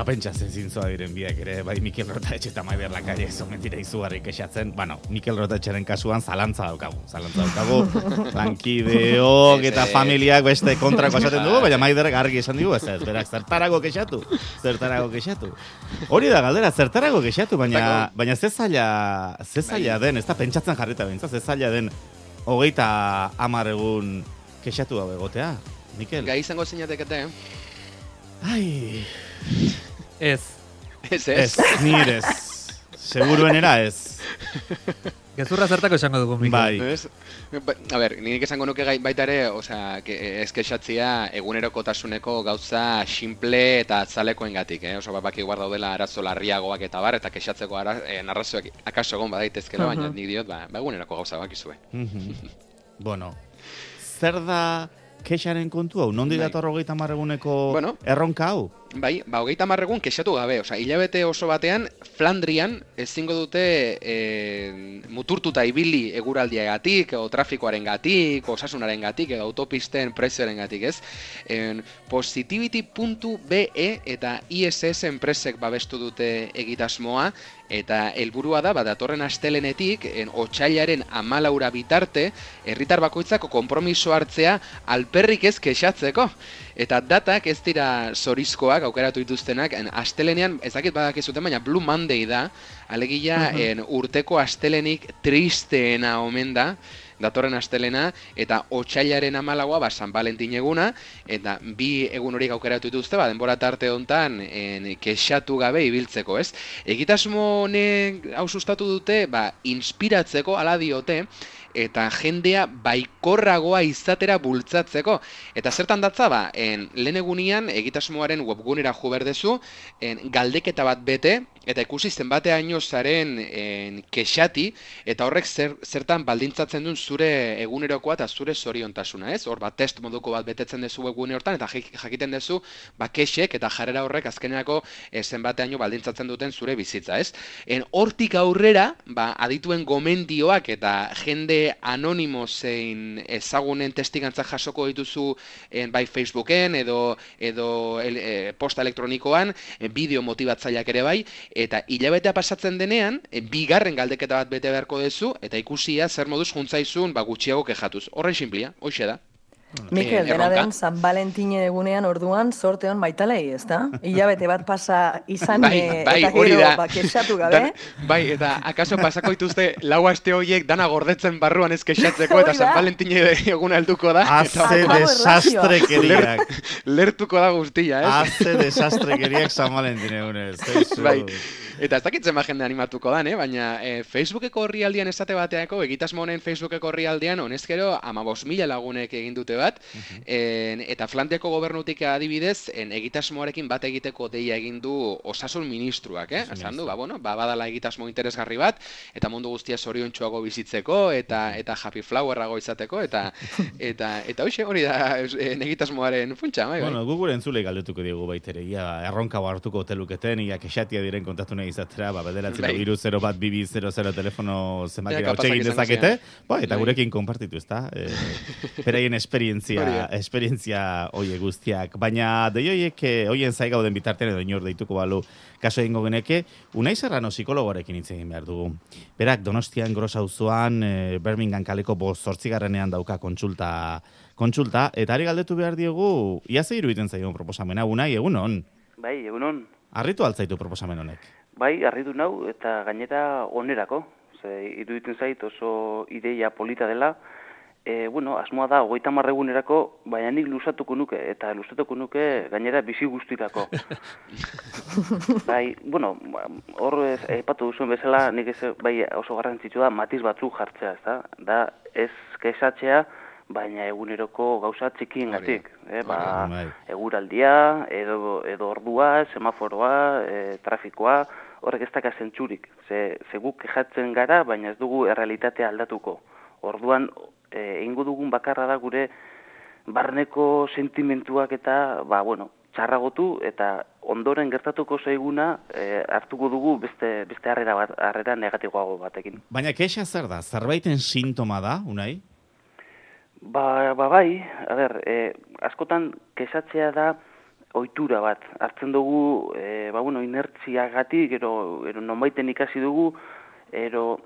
Eta pentsatzen zintzoa diren biak ere, bai Mikel Rotaetxe eta Maider Lakalle mentira izugarri kexatzen. Bueno, Mikel Rotaetxeren kasuan zalantza daukagu. Lankideok eta familiak beste kontrako esaten dugu, baina Maiderrek argi esan digu, ez berak zertarago kexatu. Hori da galdera, zertarago kexatu, baina ze zaila den, ez da pentsatzen jarrita bintza, ze zaila den 30 egun kexatu hau egotea, Mikel? Gai izango zinatekete, Ai... Ez, nire ez. Seguruenera ez. gezurra zertako esango dugu, Mikel. Bai. A ber, nik esango nuke baita ere, ez kexatzia egunerokotasuneko gauza simple eta atzalekoengatik, oso baki guarda daudela arazo larriagoak eta bar, eta kexatzeko narrazioak akaso egon badaitezkela, baina nik diot, eguneroko gauza bakizue. Bueno, zer da kexaren kontu hau? Nondi dator 30 eguneko erronka hau? Bai, 30 egun kexatu gabe, hilabete oso batean, Flandrian ezingo dute muturtuta ibili eguraldiagatik, o trafikoarengatik, osasunarengatik, edo autopisten prezioarengatik, ez? Positivity.be eta ISS enpresek babestu dute egitasmoa, eta helburua da, datorren astelenetik, otsailaren 14 bitarte, herritar bakoitzako konpromiso hartzea alperrik ez kexatzeko. Eta datak ez dira zorizkoak aukeratu dituztenak, astelenean, ez dakit badakizuten, baina Blue Monday da, alegia urteko astelenik tristeena omen da, datorren astelena, eta otsailaren 14 San Valentin eguna, eta bi egun horiek aukeratu dituzte, denbora tarte hontan kexatu gabe ibiltzeko, ez? Egitasmo honek hau sustatu dute, inspiratzeko, ala diote, eta jendea baikorragoa izatera bultzatzeko. Eta zertan datza, lehen egunian egitasmoaren webgunera jo berdezu, galdeketa bat bete, eta ikusi zenbateaino zaren kexati, eta horrek zertan baldintzatzen duen zure egunerokoa eta zure zoriontasuna, ez? Hor test moduko bat betetzen dezu webgune hortan, eta jakiten dezu kexek eta jarrera horrek azkenerako zenbateaino baldintzatzen duten zure bizitza, ez? Hortik aurrera, adituen gomendioak eta jende anonimo zein ezagunen testigantzak jasoko dituzu bai Facebooken edo posta elektronikoan, bideo motibatzaileak ere bai, eta hilabetea pasatzen denean, bigarren galdeketa bat bete beharko duzu, eta ikusia zer moduz juntzaizun gutxiago kexatuz. Horren sinplia, hoxe da. Mikel, dena den San Valentin egunean orduan sorte hon baitalei, ez da? Hilabete bat pasa izan eta gero kexatu gabe. Bai, eta akaso pasako dituzte lau aste horiek dana gordetzen barruan ez kexatzeko, eta San Valentin eguna helduko da. Haze desastrekeriak. Lertuko da guztia, ez? Haze desastrekeriak San Valentin egunez. Bai. Eta ez dakitzen jende animatuko dan, baina Facebookeko orrialdean esate bateako, egitasmo honen Facebookeko orrialdean, honezkero 15.000 lagunek egin dute bat, eta Flandiako gobernutik adibidez, egitasmoarekin bat egiteko deia egin du osasun ministruak, esan du, badala egitasmo interesgarri bat, eta mundu guztia zoriontsuago bizitzeko, eta happy flowerrago izateko, eta hoxe hori da egitasmoaren funtsa, bai. Bueno, gure entzulei galdetuko diegu baitere, erronka hartuko teluketen, kexatia diren kontatu nahi izatera, bederatzen biru 01200 telefono zenbakira hau txegin dezakete, eta gurekin konpartitu, ez da? Beraien esperientzia oie guztiak. Baina deioiek, oien zai gauden bitartean edo inor deituko balu kaso egingo geneke, Unai Serrano psikologoarekin hitz egin behar dugu. Berak Donostian Gros auzoan Birmingham kaleko 8. dauka kontsulta, eta ari galdetu behar diegu, ia ze iruditzen zaion proposamena, Unai, egunon? Bai, egunon. Arritu altzaitu proposamen honek? Bai, arritu nau, eta gainera onerako. Iruditzen zait oso ideia polita dela. Asmoa da, 30 egunerako, baina nik luzatuko nuke, eta luzatuko nuke gainera bizi guztirako. Bai, hor aipatu duzuen bezala, nik bai oso garrantzitsu da, matiz batzuk jartzea, ez da? Da, ez kexatzea, baina eguneroko gauza txikiengatik. Eguraldia, edo ordua, semaforoa, trafikoa, horrek ez daka zentzurik. Ze guk kexatzen gara, baina ez dugu errealitatea aldatuko. Orduan, egingo dugun bakarra da gure barneko sentimentuak eta, txarragotu eta ondoren gertatuko zaiguna hartuko dugu beste harrera negatiboago batekin. Baina kexa zer da? Zerbaiten sintoma da, Unai? Bai, a ber, askotan kexatzea da ohitura bat. Hartzen dugu, inertziagatik, ero nonbaiten ikasi dugu, ero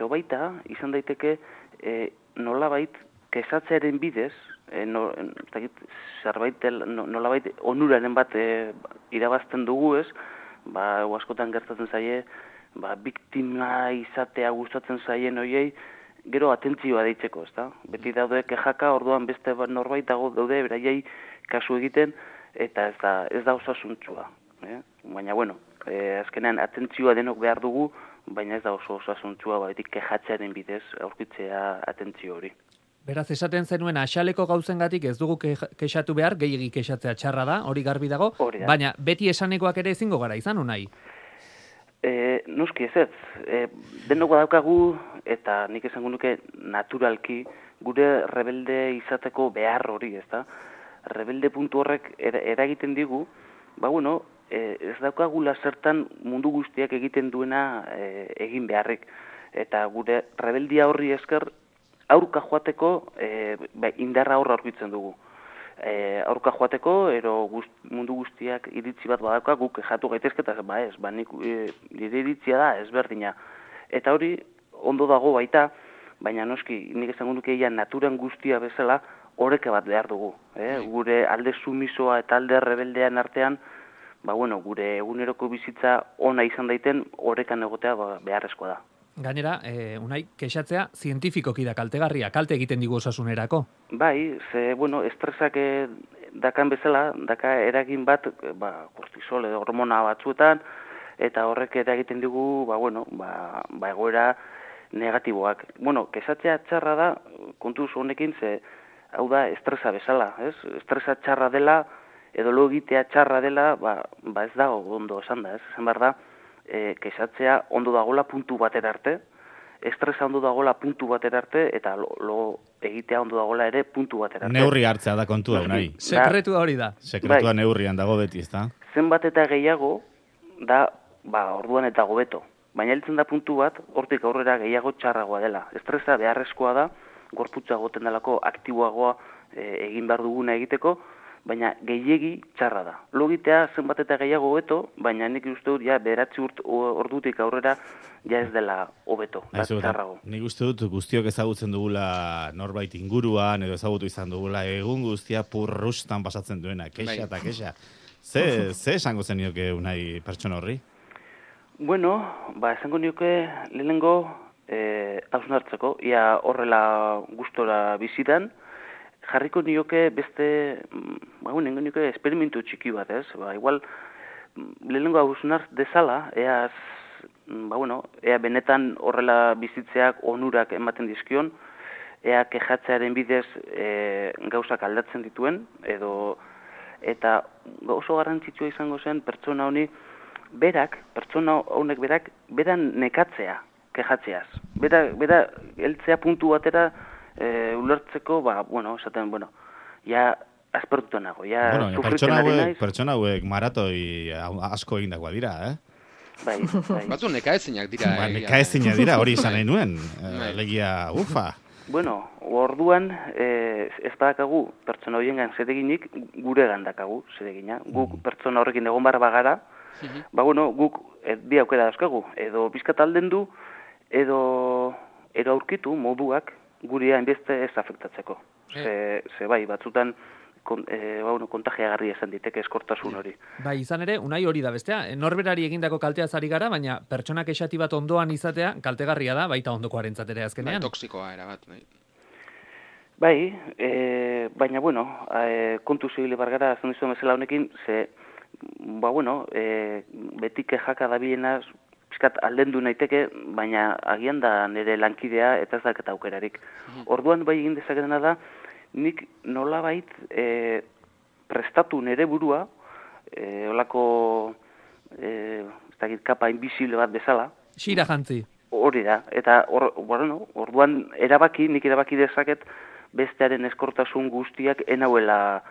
baita, izan daiteke, nolabait, kesatzearen bidez, nolabait onuraren bat irabazten dugu ez, askotan gertatzen zaie, biktima izatea gustatzen zaien hoiei, gero atentzioa deitzeko, ezta? Beti daude kejaka, orduan beste norbait daude beraiei kasu egiten, eta ez da osasuntsua. Baina, azkenean atentzioa denok behar dugu, baina ez da oso osasuntsua, betik kejatzearen bidez aurkitzea atentzio hori. Beraz, esaten zenuen axaleko gauzengatik ez dugu kexatu behar, gehiegi kexatzea txarra da, hori garbi dago, baina beti esanekoak ere ezingo gara izan, unai? Noski ez, denok badaukagu, eta nik esango nuke naturalki, gure rebelde izateko behar hori, ezta? Rebelde puntu horrek eragiten digu, ez daukagula zertan mundu guztiak egiten duena egin beharrik. Eta gure rebeldia horri esker, aurka joateko indarra horra aurkitzen dugu. Aurka joateko, mundu guztiak iritzi bat badauka, guk jatu gaitezketa, nire iritzia da ezberdina. Eta hori ondo dago baita, baina noski, nik esango nuke naturan guztia bezala, oreka bat behar dugu. Gure alde sumisoa eta alde rebeldean artean, gure eguneroko bizitza ona izan daiten, orekan egotea beharrezkoa da. Gainera, unai, kexatzea zientifikoki da kaltegarria, kalte egiten digu osasunerako. Bai, estresak dakan bezala, daka eragin bat, kortisol edo hormona batzuetan, eta horrek eragiten digu, egoera negatiboak. Kexatzea txarra da, kontuz honekin, hau da estresa bezala, ez? Estresa txarra dela, edo lo egitea txarra dela, ez dago ondo esan da, ez? Esan behar da, kexatzea ondo dagoela puntu batera arte, estresa ondo dagoela puntu batera arte, eta lo egitea ondo dagoela ere puntu batera arte. Neurri hartzea da kontua, unai. Sekretua hori da. Sekretua neurrian dago beti, ez da? Zenbat eta gehiago, da, orduan eta gobeto. Baina heltzen da puntu bat, hortik aurrera gehiago txarragoa dela. Estresa beharrezkoa da, gorputza goten delako aktiboagoa egin behar duguna egiteko, baina gehiegi txarra da. Logitea zenbat eta gehiago hobeto, baina nik uste dut, beratzi ordutik aurrera, ez dela hobeto, txarrago. Nik uste dut guztiok ezagutzen dugula norbait inguruan, edo ezagutu izan dugula, egun guztia purrustan pasatzen duena, kexa eta kexa. Ze esango zen nioke unai pertsona horri? Esango nioke lehenengo hausnartzeko, ia horrela gustora bizitan, jarriko nioke beste, nengo nioke esperimentu txiki bat, ez? Igual, lehenengo hausnart dezala, ea benetan horrela bizitzeak onurak ematen dizkion, ea kexatzearen bidez gauzak aldatzen dituen, eta oso garrantzitsua izango zen pertsona honi pertsona honek beran nekatzea, kexatzeaz. Bera heltzea puntu batera ulertzeko, esaten, aspertuta nago, sufritzen ari naiz. Pertsona hauek maratoi asko egindakoa dira, Bai. Batzu nekaezinak dira. Nekaezinak dira, hori izan nahi nuen. Legia, ufa. Orduan, ez badakagu pertsona horiengan zereginik, gure gandakagu zeregina. Guk pertsona horrekin egon barra bagara, guk bi aukera dauzkagu. Edo bizkat alden du, edo aurkitu moduak gurea hainbeste ez afektatzeko. Batzutan kontagiagarria esan diteke eskortasun hori. Bai, izan ere, unai hori da bestea. Norberari egindako kalteaz ari gara, baina pertsonak esati bat ondoan izatea kaltegarria da, baita ondokoarentzat ere azkenean. Toxikoa erabat. Baina, kontu zibili bargara, azten dizuen bezala honekin, beti kejaka dabiena, pizkat aldendu naiteke, baina agian da nire lankidea eta ez daketa aukerarik. Orduan bai egin dezaketena da, nik nolabait prestatu nire burua, olako kapa invisible bat bezala. Xira jantzi. Hori da, eta orduan nik erabaki dezaket bestearen eskortasun guztiak enauela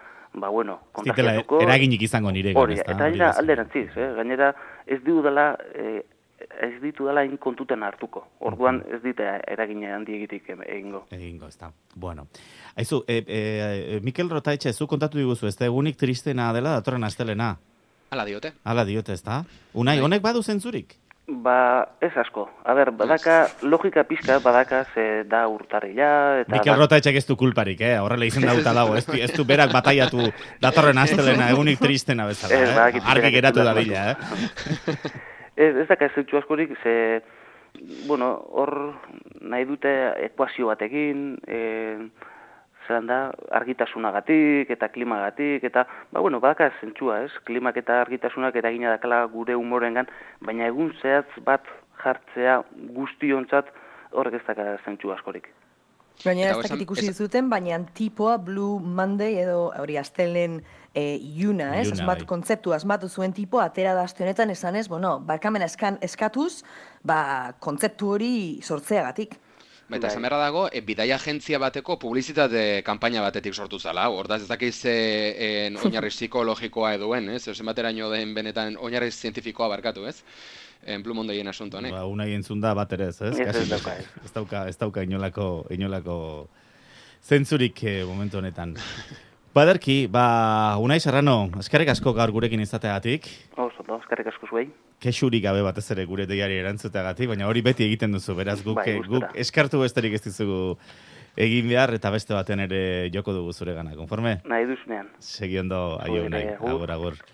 kontagiatuko. Eraginik izango nire. Hori, eta alderantziz, gainera ez diudala ez ditu dela kontuten hartuko. Orduan ez dite eragine handiegitik egingo. Egingo, ez da. Bueno. Aizu, Mikel Rotaetxe, zu kontatu diguzu, ez da egunik tristena dela datorren astelena? Hala diote. Hala diote, ez da? Unai, honek badu zentzurik? Ez asko. A ber, badaka, logika pizka, badaka, ze da urtarrila, eta... Mikel Rotaetxek ez du kulparik, horrela izen dauta dago, ez du berak bataiatu datorren astelena, egunik tristena bezala, argi geratu da bila, Ez daka zentzu askorik, ze, bueno, hor nahi dute ekuazio batekin, zelan da, argitasunagatik eta klimagatik, eta, badaka zentzua, ez? Klimak eta argitasunak eragina dakala gure humorengan, baina egun zehatz bat jartzea guztiontzat horrek ez daka zentzu askorik. Baina ez dakit ikusi dizuten, baina tipoa Blue Monday edo hori astelen iuna, ez? Kontzeptu asmatu zuen tipo, atera da aste honetan esanez, barkamena eskatuz, kontzeptu hori sortzeagatik. Eta esan beharra dago, bidaia agentzia bateko publizitate kanpaina batetik sortu zala. Hortaz ez dakiz oinarri psikologikoa eduen, ez? Zer bateraino den benetan oinarri zientifikoa barkatu, ez? Blue Mondayen asunto honek. Unai entzun da bat ere, ez? Ez dauka inolako zentzurik momentu honetan. Baderki, Unai Serrano, eskerrik asko gaur gurekin izateagatik. Oso, eskerrik asko zuei. Kexurik gabe batez ere gure deiari erantzuteagatik, baina hori beti egiten duzu, beraz guk eskartu besterik ez dizugu egin behar, eta beste baten ere joko dugu zure gana, konforme? Nahi duzunean. Segi ondo, aio Unai, agur.